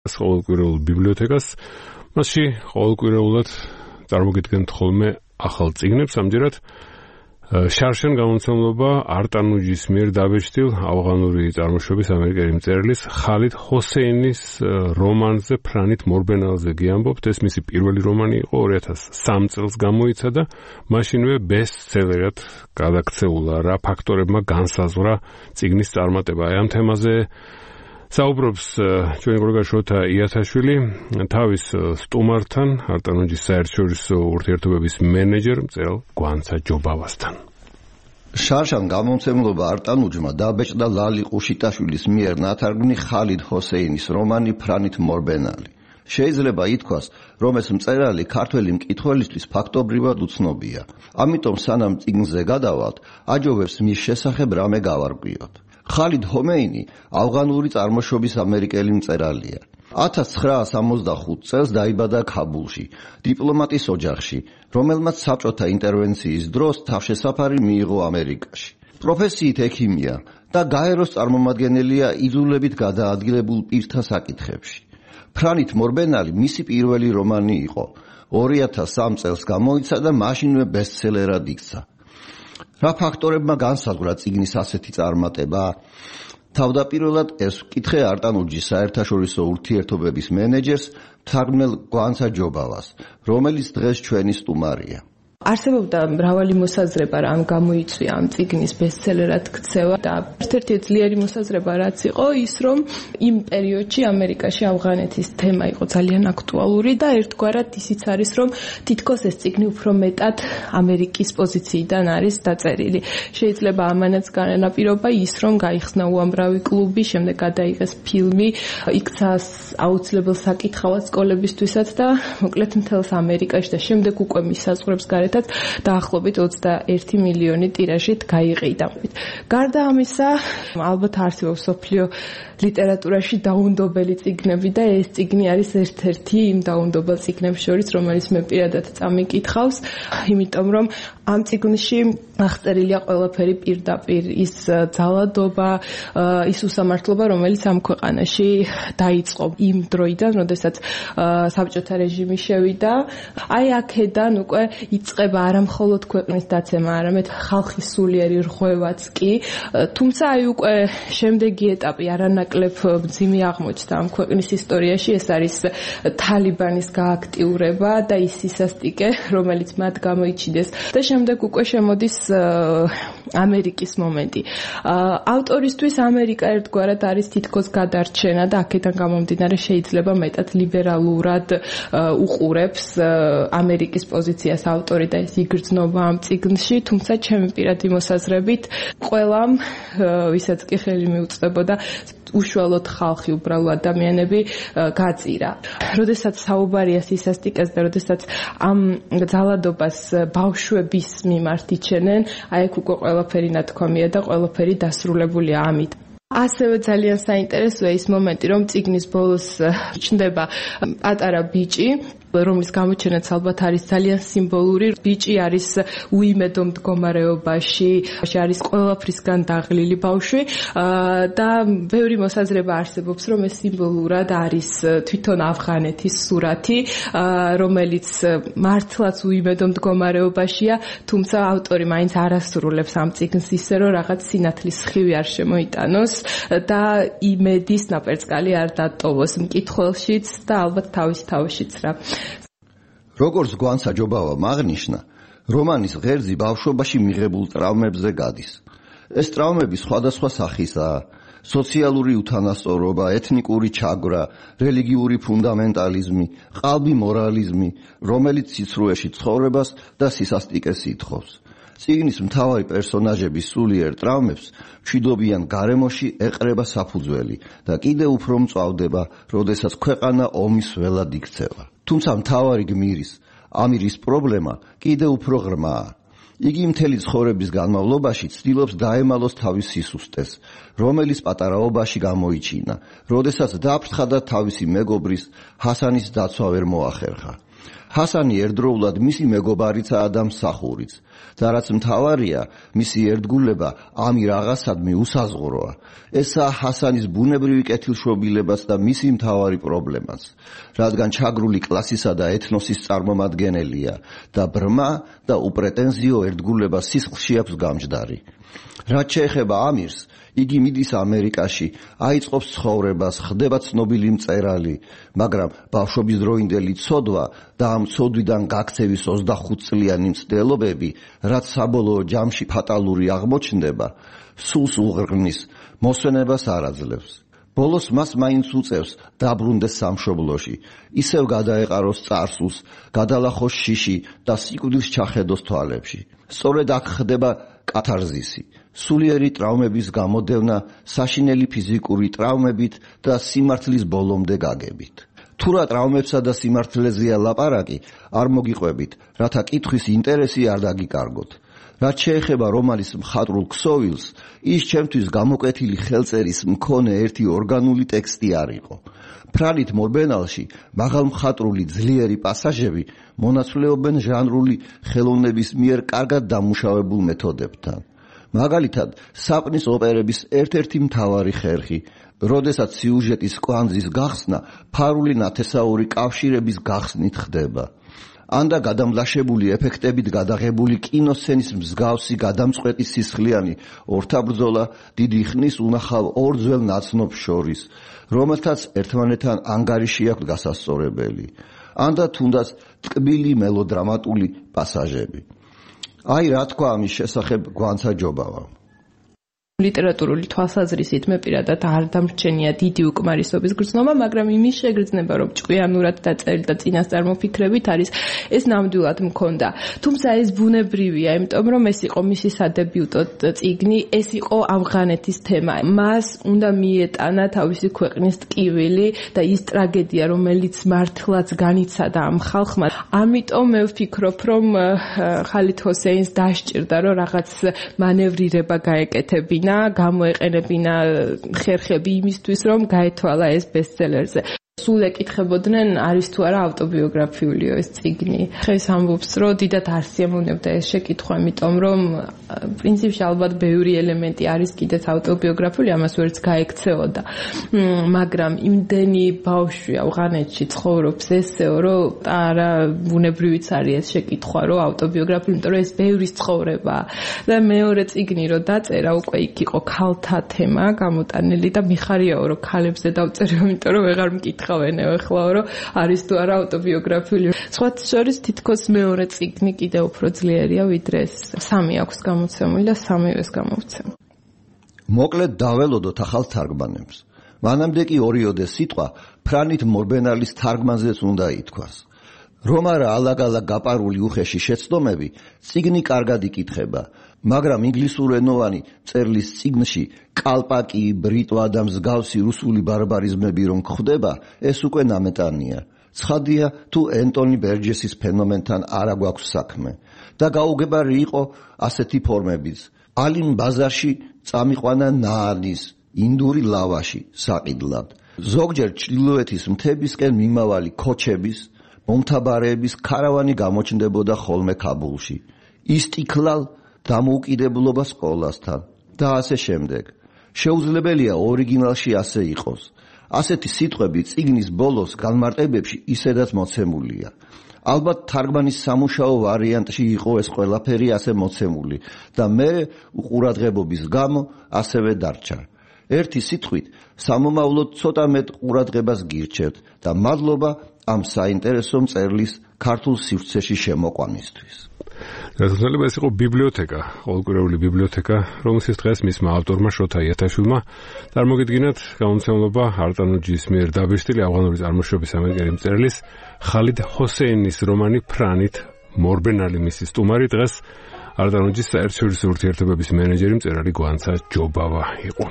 ყოველკვირეულ ბიბლიოთეკას. მასში ყოველკვირეულად წარმოგიდგენთ ხოლმე ახალ წიგნებს, ამჯერად შარშან გამომცემლობა არტანუჯის მიერ დაბეჭდილ ავღანური წარმოშობის ამერიკელი მწერლის ხალიდ ჰოსეინის რომანზე ფრანით მორბენალზე გიამბობთ. ეს მისი პირველი რომანი იყო, 2003 წელს გამოიცა და მაშინვე ბესტსელერად გადაქცეულა. რა ფაქტორებმა განსაზღვრა წიგნის წარმატება? ამ თემაზე საუბრობს ჩვენი კოლეგა შოთა იათაშვილი თავის სტუმართან, არტანუჯის საერთაშორისო ურთიერთობების მენეჯერ მწერალ გვანცა ჯობავასთან. შარშან გამომცემლობა არტანუჯმა დაბეჭდა ლალი ყუშიტაშვილის მიერ ნათარგმნი ხალიდ ჰოსეინის რომანი ფრანით მორბენალი. შეიძლება ითქვას, რომ ეს მწერალი ქართველი მკითხველისთვის ფაქტობრივად უცნობია. ამიტომ სანამ წიგნზე გადავალთ, აჯობებს მის შესახებ რამე გავარკვიოთ. ხალიდ ჰოსეინი ავღანური წარმოშობის ამერიკელი მწერალია. 1965 წელს დაიბადა ქაბულში, დიპლომატის ოჯახში, რომელმაც საბჭოთა ინტერვენციის დროს თავშესაფარი მიიღო ამერიკაში. პროფესიით ექიმია და გაეროს წარმომადგენელია იძულებით გადაადგილებულ პირთა საკითხებში. ფრანით მორბენალი მისი პირველი რომანი იყო. 2003 წელს გამოიცა და მაშინვე ბესტსელერად იქცა. რა ფაქტორებმა განსაზღვრა წიგნის ასეთი წარმატება? თავდაპირველად ეს ვკითხე არტანუჯის საერთაშორისო ურთიერთობების მენეჯერს მთარგმნელ გვანცა ჯობავას, რომელიც დღეს ჩვენი სტუმარია. არსებობდა მრავალი მოსაზრება, რამ გამოიწვია ამ წიგნის ბესტსელერად ქცევა და ერთ-ერთი ძლიერი მოსაზრება რაც იყო ის, რომ იმ პერიოდში ამერიკაში ავღანეთის თემა იყო ძალიან აქტუალური და ერთგვარად ისიც არის, რომ თითქოს ეს წიგნი უფრო მეტად ამერიკის პოზიციიდან არის დაწერილი. შეიძლება ამანაც განაპირობა ის, რომ გაიხსნა უამრავი კლუბი, შემდეგ გადაიღეს ფილმი, იქცა აუცილებელ საკითხავად სკოლებისთვისაც და მოკლედ მთელს ამერიკაში და შემდეგ უკვე მის საზღვრებს გარეთ დაახლოებით 21 მილიონი ტირაჟით გაიყიდა. გარდა ამისა, ალბათ არსებობს მსოფლიო ლიტერატურაში დაუნდობელი წიგნები და ეს წიგნი არის ერთ-ერთი იმ დაუნდობელ წიგნებს შორის, რომელიც მე პირადად წამიკითხავს, იმიტომ რომ ამ წიგნში აღწერილია ყველაფერი პირდაპირ, ის ძალადობა, ის უსამართლობა, რომელიც ამ ქვეყანაში დაიწყო იმ დროიდან, როდესაც საბჭოთა რეჟიმი შევიდა. აი აქედან უკვე იწყება არა მხოლოდ ქვეყნის დაცემა, არამედ ხალხის სულიერი რღვევაც კი. თუმცა აი უკვე შემდეგი ეტაპი არანაკლებ მძიმე აღმოჩნდა ამ ქვეყნის ისტორიაში, ეს არის თალიბანის გააქტიურება და ის სისასტიკე, რომელიც მათ გამოიჩინეს და შემდეგ უკვე შემოდის ამერიკის მომენტი. ავტორისთვის ამერიკა ერთგვარად არის თითქოს გადარჩენა და აქედან გამომდინარე შეიძლება მეტად ლიბერალურად უყურებს ამერიკის პოზიციას ავტორი და ეს იგრძნობა ამ წიგნში, თუმცა ჩემი პირადი მოსაზრებით ყველამ, ვისაც კი ხელი მიუწვდებოდა უშუალოდ ხალხი, უბრალო ადამიანები გაწირა. როდესაც საუბარია სისასტიკეს და როდესაც ამ ძალადობას ბავშვების მიმართ იჩენენ, აი აქ უკვე ყველაფერი ნათქვამია და ყველაფერი დასრულებულია ამით. ასევე ძალიან საინტერესოა ის მომენტი, რომ წიგნის ბოლოს ჩნდება პატარა ბიჭი, რომლის გამოჩენაც ალბათ არის ძალიან სიმბოლური. ბიჭი არის უიმედო მდგომარეობაში, არის ყველაფრისგან დაღლილი ბავშვი და ბევრი მოსაზრება არსებობს, რომ ეს სიმბოლურად არის თვითონ ავღანეთის სურათი, რომელიც მართლაც უიმედო მდგომარეობაშია, თუმცა ავტორი მაინც არასრულებს ამ წიგნს ისე, რომ რაღაც სინათლის სხივი არ შემოიტანოს და იმედის ნაპერწკალი არ დატოვოს მკითხველშიც და ალბათ თავის თავშიც რა. როგორც გვანცა ჯობავა აღნიშნა, რომანის ღერძი ბავშვობაში მიღებულ ტრაუმებზე გადის. ეს ტრაუმები სხვადასხვა სახისაა: სოციალური უთანასწორობა, ეთნიკური ჩაგვრა, რელიგიური ფუნდამენტალიზმი, ყალბი მორალიზმი, რომელიც სიცრუეში ცხოვრებას და სისასტიკეს ითხოვს. წიგნის მთავარი პერსონაჟების სულიერ ტრაუმებს მშვიდობიან გარემოში ეყრება საფუძველი და კიდევ უფრო მწვავდება, როდესაც ქვეყანა ომის ველად იქცევა. თუმცა მთავარი გმირის, ამირის პრობლემა კიდევ უფრო ღრმაა. იგი მთელი ცხოვრების განმავლობაში ცდილობს დაემალოს თავის სისუსტეს, რომელიც პატარაობაში გამოიჩინა, როდესაც დაფრთხა და თავისი მეგობრის ჰასანის დაცვა ვერ მოახერხა. ჰასანი ერთდროულად მისი მეგობარიცაა და მსახურიც. და რაც მთავარია, მისი ერთგულება ამი რაღაცადმი უსაზღვროა. ესაა ჰასანის ბუნებრივი კეთილშობილებაც და მისი მთავარი პრობლემაც, რადგან ჩაგრული კლასისა და ეთნოსის წარმომადგენელია და ბრმა და უპრეტენზიო ერთგულება სისხლში აქვს გამჯდარი. რაც შეეხება ამირს, იგი მიდის ამერიკაში, აიწყობს ცხოვრებას, ხდება ცნობილი მწერალი, მაგრამ ბავშვობის დროინდელი ცოდვა და ამ ცოდვიდან გაქცევის 25 წლიანი მცდელობები, რაც საბოლოო ჯამში ფატალური აღმოჩნდება, სულს უღრმის, მოსვენებას არ აძლევს. ბოლოს მას მაინც უწევს დაბრუნდეს სამშობლოში, ისევ გადაეყაროს წარსულს, გადალახოს შიში და სიკვდილს ჩახედოს თვალებში. სწორედ აქ ხდება კათარზისი, სულიერი ტრავმების გამოდევნა საშინელი ფიზიკური ტრავმებით და სიმართლის ბოლომდე გაგებით. თუ რა ტრავმებსა და სიმართლეზეა ლაპარაკი, არ მოგიყვებით, რათა კითხვის ინტერესი არ დაგიკარგოთ. რაც შეეხება რომანის მხატვრულ ქსოვილს, ის ჩემთვის გამოკვეთილი ხელწერის მქონე ერთი ორგანული ტექსტი არ იყო. ფრანით მორბენალში მაღალმხატვრული ძლიერი პასაჟები მონაცვლეობენ ჟანრული ხელოვნების მიერ კარგად დამუშავებულ მეთოდებთან. მაგალითად, საპნის ოპერების ერთ-ერთი მთავარი ხერხი, როდესაც სიუჟეტის კვანძის გახსნა ფარული ნათესაური კავშირების გახსნით ხდება. ანდა გადამლაშებული ეფექტებით გადაღებული კინოსცენის მსგავსი გადამწყვეტი სისხლიანი ორთაბრძოლა დიდი ხნის უნახავ ორ ძველ ნაცნობს შორის, რომელთაც ერთმანეთთან ანგარიში აქვს გასასწორებელი. ანდა თუნდაც ტკბილი მელოდრამატული პასაჟები. აი რა თქვა ამის შესახებ გვანცა ჯობავა. ლიტერატურული თვალსაზრისით მე პირადად არ დამრჩენია დიდი უკმარისობის გრძნობა, მაგრამ იმის შეგრძნება, რომ ჭკვიანურად დაწერილი და წინასწარ მოფიქრებით არის ეს ნამდვილად მქონდა. თუმცა ეს ბუნებრივია, იმიტომ რომ ეს იყო მისი სადებიუტო წიგნი, ეს იყო ავღანეთის თემა. მას უნდა მიეტანა თავისი ქვეყნის ტკივილი და ის ტრაგედია, რომელიც მართლაც განიცადა ამ ხალხმა. ამიტომ მე ვფიქრობ, რომ ხალიდ ჰოსეინს დასჭირდა, რომ რაღაც მანევრირება გაეკეთებინა, გამოეყენებინა ხერხები იმისთვის, რომ გაეთვალა ეს ბესტსელერზე. სულ ეკითხებოდნენ, არის თუ არა ავტობიოგრაფიულიო ეს წიგნი. ხეს ამბობს, რომ დიდად არ სიამოვნებდა ეს შეკითხვა, იმიტომ რომ პრინციპში ალბათ ბევრი ელემენტი არის კიდეც ავტობიოგრაფიული, ამას ვერც გაექცეოდა. მაგრამ იმდენი ბავშვი ავღანეთში ცხოვრობს ესეო, რომ არა ბუნებრივიც არის ეს შეკითხვა, რომ ავტობიოგრაფიული, იმიტომ რომ ეს ბევრის ცხოვრება. და მეორე წიგნი რომ დაწერა, უკვე იქ იყო ქალთა თემა გამოტანილი და მიხარიაო, რომ ქალებზე დავწერე, იმიტომ რომ ვეღარ მკითხავენე ეხლა, რომ არის თუ არა ავტობიოგრაფიული. სხვათა შორის თითქოს მეორე წიგნი კიდევ უფრო ძლიერია, ვიდრე ეს. სამი აქვს გამოცემული და სამივეს გამოვცემ. მოკლედ დაველოდოთ ახალ თარგმანებს. მანამდე კი ორიოდე სიტყვა ფრანით მორბენალის თარგმანზეც უნდა ითქვას. რომ არა ალაგ-ალაგ გაპარული უხეში შეცდომები, წიგნი კარგად იკითხება, მაგრამ ინგლისურენოვანი წერლის წიგნში კალპაკი, ბრიტვა და მსგავსი რუსული ბარბარიზმები რომ გვხვდება, ეს უკვე ნამეტანია. ცხადია, თუ ენტონი ბერჯესის ფენომენთან არა გვაქვს საქმე. და გაუგებარი იყო ასეთი ფორმებიც. ალიმ ბაზარში წამიყვანა ნაანის, ინდური ლავაში საყიდლად. ზოგჯერ ჩრდილოეთის მთებისკენ მიმავალი ქოჩების, მომთაბარეების ქარავანი გამოჩნდებოდა ხოლმე ქაბულში. ისტიკლალ დამოუკიდებლობა სკოლასთან და ასე შემდეგ. შეუძლებელია ორიგინალში ასე იყოს. ასეთი სიტყვები წიგნის ბოლოს განმარტებებში ისედაც მოცემულია. ალბათ თარგმანის სამუშაო ვარიანტში იყო ეს ყველაფერი ასე მოცემული და მე უყურადღებობის გამო ასევე დარჩა. ერთი სიტყვით სამომავლოდ ცოტა მეტ ყურადღებას გირჩევთ და მადლობა ამ საინტერესო მწერლის ქართულ სივრცეში შემოყვანისთვის. გასაგებია ეს იყო ბიბლიოთეკა, ყოველკვირეული ბიბლიოთეკა, რომელსაც დღეს მისმა ავტორმა შოთა იათაშვილმა წარმოგიდგინათ გამომცემლობა არტანუჯის მიერ დაბეჭდილი ავღანური წარმოშობის ამერიკელი მწერლის ხალიდ ჰოსეინის რომანი ფრანით მორბენალი მისი სტუმარი დღეს არტანუჯის საერთაშორისო ურთიერთობების მენეჯერი მწერალი გვანცა ჯობავა იყო.